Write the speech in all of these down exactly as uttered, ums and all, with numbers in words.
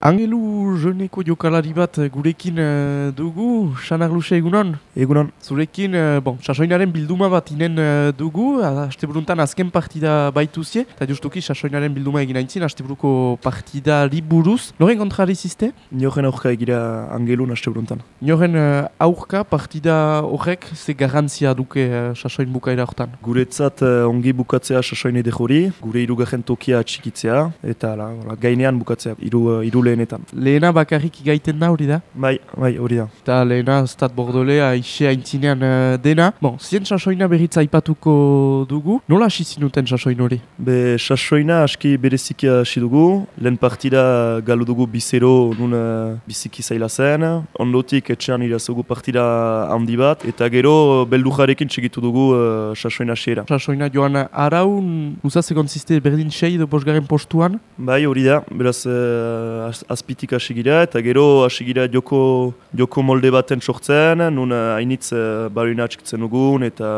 Angelu Joneko jokalari bat gurekin uh, dugu, Xanar Luxe egunon? Egunon. Zurekin, uh, bon, sasoinaren bilduma bat inen uh, dugu, asteburuntan azken partida baituzie, eta justuki sasoinaren bilduma egin aintzin, asteburuko partida buruz. Noren kontrari ziste? Nioren aurka egira Angelun asteburuntan. Nioren uh, aurka partida horrek ze garantzia duke uh, sasoin bukaera hortan? Guretzat uh, ongi bukatzea sasoin edekori, gure irugarren tokia atxikitzea, eta la, la, gainean bukatzea, iru, uh, iru lehenetan. Lehena bakarrik igaiten da hori da? Bai, bai, hori da. Eta lehena Stade Bordelais aixe aintzinean uh, dena. Bon, zien sasoina berriz aipatuko dugu. Nola hasi zinuten sasoin hori? Be, sasoina aski bereziki hasi dugu. Lehen partida galu dugu bizero nun uh, biziki zaila zen. Ondotik etxean irazugu partida handi bat. Eta gero beldujarekin txegitu dugu uh, sasoina hasiera. Sasoina joan araun, uzaz egon ziste berdin sei edo bosgarren postuan? Bai, hori da. Beraz, uh, azpitik hasi gira, eta gero hasi gira joko, joko molde baten sortzen, nun hainitz uh, baruina atxikitzen dugun, eta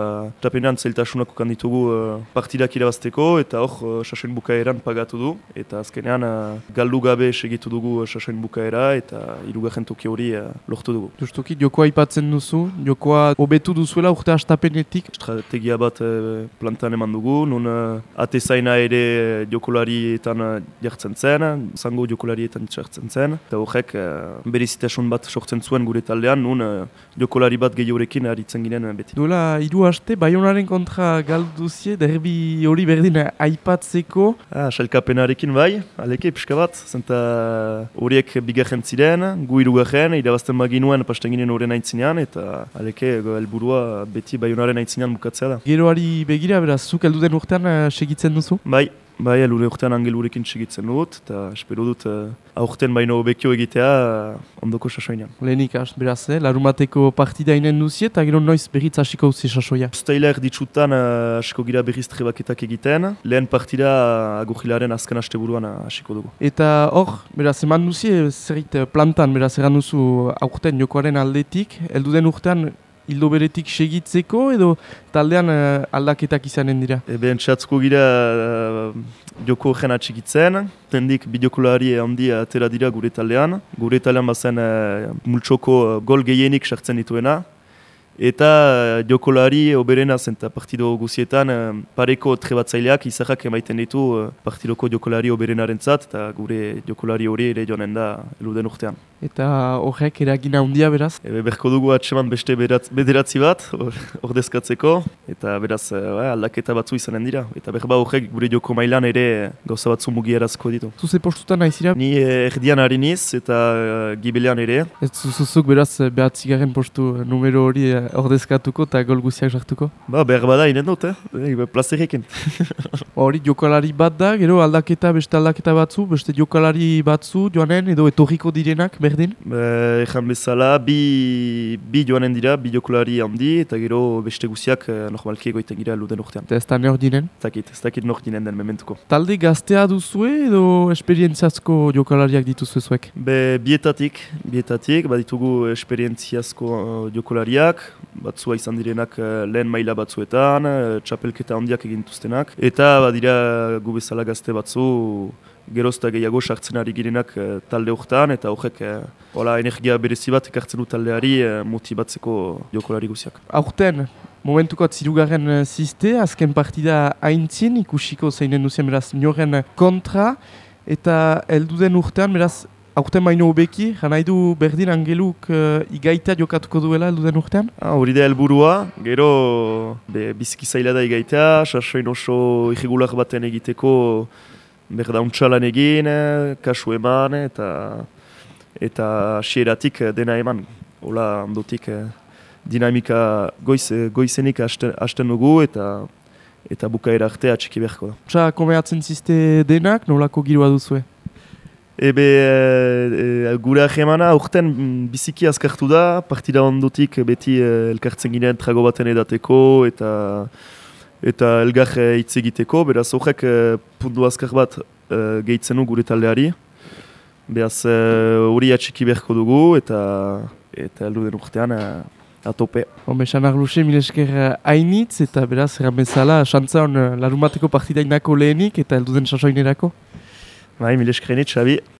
tapenean zailtasunak ukanditugu uh, partidak irabazteko, eta hor uh, sasoin bukaeran pagatu du, eta azkenean uh, galdu gabe segitu dugu uh, sasoin bukaera, eta hirugarren toki hori uh, lortu dugu. Justuki, jokoa aipatzen duzu, jokoa hobetu duzuela urte hastapenetik? Estrategia bat uh, plantan eman dugu, nun uh, atezaina ere jokolarietan uh, jartzen zen, zango jokolarietan txartzen zen, eta horrek uh, berezitasun bat sortzen zuen gure taldean, nun uh, jokolari bat gehiorekin aritzen ginen uh, beti. Duela hiru aste, Baionaren kontra galduzie, derbi hori berdin aipatzeko. Ah, sailkapenarekin bai, aleke pixka bat, zenta horiek bigarren ziren, gu hirugarren, irabazten baginuen pasten ginen horren aintzinean, eta aleke helburua beti Baionaren aintzinean bukatzea da. Geroari begira, beraz, zuk heldu den urtean uh, segitzen duzu? Bai. Bai, elure urtean Angelurekin segitzen dut, eta espero dut uh, aurten baino bekio egitea uh, ondoko sasoinean. Lehenik, beraz, eh? Larumateko partida inen duzie, eta gero noiz berriz hasiko uzi sasoia. Uztaila erditsutan uh, hasiko gira berriz trebaketak egiten, lehen partida uh, agurrilaren azken asteburuan uh, hasiko dugu. Eta hor, beraz, eman duzie, zerit plantan, beraz, eran duzu aurten jokoaren aldetik, heldu den urtean, hildo beretik segitzeko edo taldean uh, aldaketak izanen dira? Eben txatzko gira uh, joko horren atxikitzen, tendik bideokolari handi atera dira gure taldean. Gure taldean bazen uh, multxoko uh, gol gehienik sartzen dituena. Eta uh, jokolari oberena zen eta partido guzietan uh, pareko trebatzaileak izahak emaiten ditu uh, partidoko jokolari oberenaren zat, eta gure jokolari hori ere joanen da eluden urtean. Eta horrek eragina handia beraz? Ebe berko dugu atseman beste beratz, bederatzi bat, ordezkatzeko, eta beraz uh, aldaketa batzu izanen dira. Eta berba horrek gure joko mailan ere gauza batzu mugierazko ditu. Zuze postutan nahizira? Ni eh, erdian hariniz eta uh, gibelean ere. Ez zuzuzuk beraz behatzigarren postu numero hori uh, ordezkatuko eta gol guziak sartuko? Ba, behar bada inen dut, eh? E, plazerekin. Hori jokalari bat da, gero aldaketa, beste aldaketa batzu, beste jokalari batzu joanen edo etorriko direnak berdin? Ejan bezala, bi, bi joanen dira, bi jokalari handi, eta gero beste guziak eh, normalki egoiten gira luden urtean. Eta ez da nor dinen? Ez dakit, ez dakit nor dinen den mementuko. Talde gaztea duzue edo esperientziazko jokalariak dituzue zuek? Be, bietatik, bietatik, baditugu esperientziazko uh, jokalariak, batzua izan direnak uh, lehen maila batzuetan, uh, txapelketa handiak egintuztenak, eta badira gu bezala gazte batzu, gerozta gehiago sartzen ari girenak uh, talde horretan, eta horrek uh, hola energia berezi bat ekartzen du taldeari uh, motibatzeko jokolari guziak. Aurten, momentuko atzirugarren ziste, azken partida aintzin, ikusiko zeinen duzien beraz Nioren kontra, eta heldu den urtean, beraz, aurten baino hobeki, janai du berdin Angeluk uh, igaita jokatuko duela heldu den urtean? Ah, hori da helburua, gero be, biziki zaila da igaitea, sasoin oso irregular baten egiteko berda untxalan egin, kasu eman, eta eta hasieratik dena eman. Hola, ondotik dinamika goiz, goizenik hasten, hasten dugu, eta eta bukaera arte atxiki beharko da. Txa, komeatzen ziste denak, nolako giroa duzue? Ebe, e, e, gure ahemana urten biziki azkartu da, partida ondotik beti e, elkartzen ginen trago baten edateko, eta eta elgar hitz egiteko, beraz horrek e, puntu azkar bat e, gehitzen du gure taldeari. Beraz hori e, atxiki beharko dugu, eta eta heldu den urtean e, atope. Home, Xanar Luxe, mil esker hainitz, eta beraz, erran bezala, xantza hon larumateko partidainako lehenik, eta heldu den sasoinerako. Bai, mil esker hainitz, Xabi.